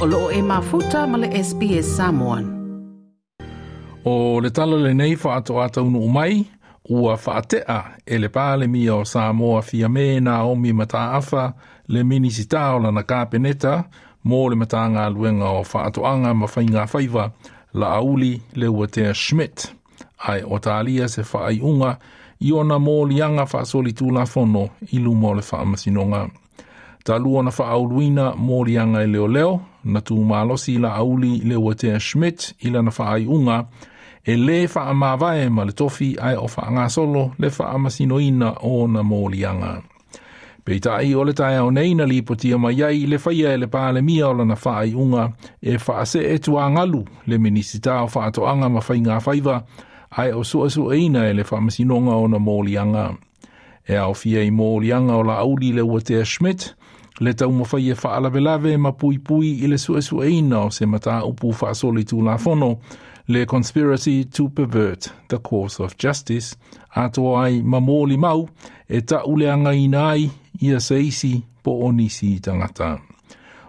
O loo e mafuta ma le SBS Samoan. O le tala lenei faatoa taunuu mai, ua faatea e le Palemia o Samoa Fiame Naomi Mataafa le Minisita o lana Kapeneta mo le Matagaluega o Faatoaga ma Faiga Faiva Laauli Leuatea Schmidt, ae o talia se faaiuga i ona moliaga faasolitulafono i luma o le faamasinoga. Talu ona faauluina moliaga e leoleo, na tumalosi Laauli Leuatea Schmidt i lana faaiuga e lē faamavae ma le tofi ae o faagasolo le faamasinoina o ona moliaga. Peitai o le taeao nei na lipotia mai ai le faia e le Palemia o lana faaiuga e faasee tuagalu le Minisita o Faatoaga ma Faiga Faiva ae o suesueina e le faamasinoga ona moliaga. E aofia i moliaga o Laauli Leuatea Schmidt le taumafai e faalavelave ma puipui i le suesueina o se mataupu faasolitulafono le conspiracy to pervert the course of justice atoa ai ma molimau e tauleagaina ai ia se isi po o nisi tagata.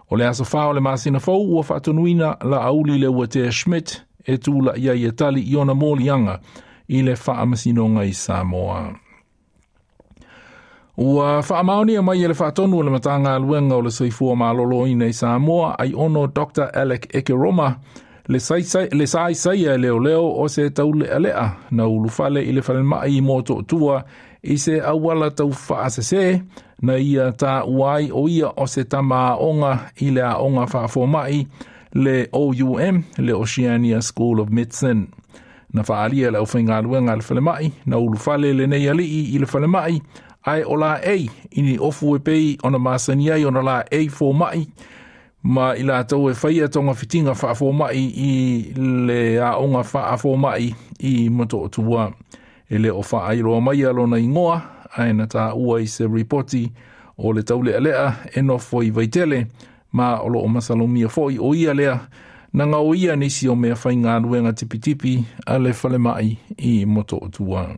O le aso 4 o le masina fou ua faatonuina Laauli Leuatea Schmidt e tula'i ai e tali i ona moliaga i le faamasinoga i Samoa. Ua faamaonia mai e le faatonu o le Matagaluega o le Soifua Maloloina i Samoa ai ono Dr. Alec Ekeroma le saisaia e leoleo o se taulealea na ulufale i le falemai i Motootua i se auala tau faasese na ia taua ai o ia o se tama aoga i le aoga faafomai le OUM, le Oceania School of Medicine. Na faaalia e le aufaigaluega a le falemai na ulufale lenei alii i le falemai ae o laei i ni ofu e pei ona masani ai ona laei fomai ma i latou e faia togafitiga faafomai i le aoga faafomai i Motootua. E le o faailoa mai lona igoa ae na taua i se ripoti o le taulealea e nofo i Vaitele ma o loo masalomia foi o ia lea na gaoia nisi o mea faigaluega tipitipi a le falemai i Motootua.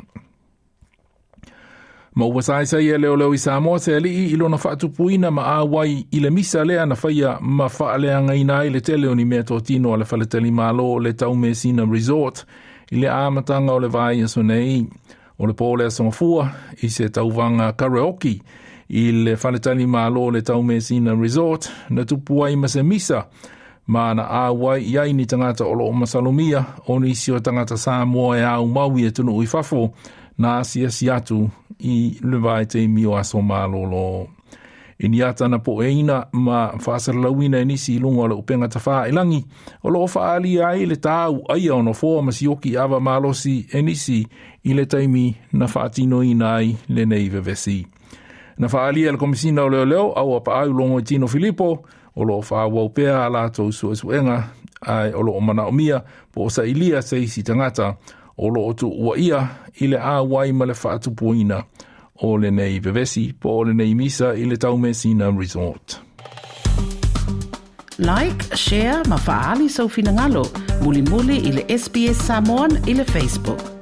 Ma ua saisai e leoleo i Samoa se alii i lona faatupuina ma auai i le misa lea na faia ma faaleagaina ai le tele o ni mea totino a le faletalimalo le Taumeasina Resort i le amataga o le vaiaso nei. O le po o le aso Gafua i se tauvaga karaoke i le faletalimalo le Taumeasina Resort na tupu ai ma se misa ma na auai i ai ni tagata o loo masalomia o nisi o tagata Samoa e aumau i atunuu i fafo na asiasi atu i le vaitaimi o aso malolo. I ni ata na poeina ma faasalalauina e nisi i luga o le upega tafāilagi o loo faaalia ai le tau aia o nofoa ma sioki ava malosi e nisi i le taimi na faatinoina ai lenei vevesi. Na faaalia e le Komisina o Leoleo au Apaau Logoitino Filipo o loo faaauau pea a latou suesuega ae o loo manaomia po o sailia se isi tagata o loo tuuaia i le auai ma le faatupuina o lenei vevesi po o lenei misa i le Taumeasina Resort. Like, share ma faaali sou finagalo. Mulimuli i le SBS Samoan i le Facebook.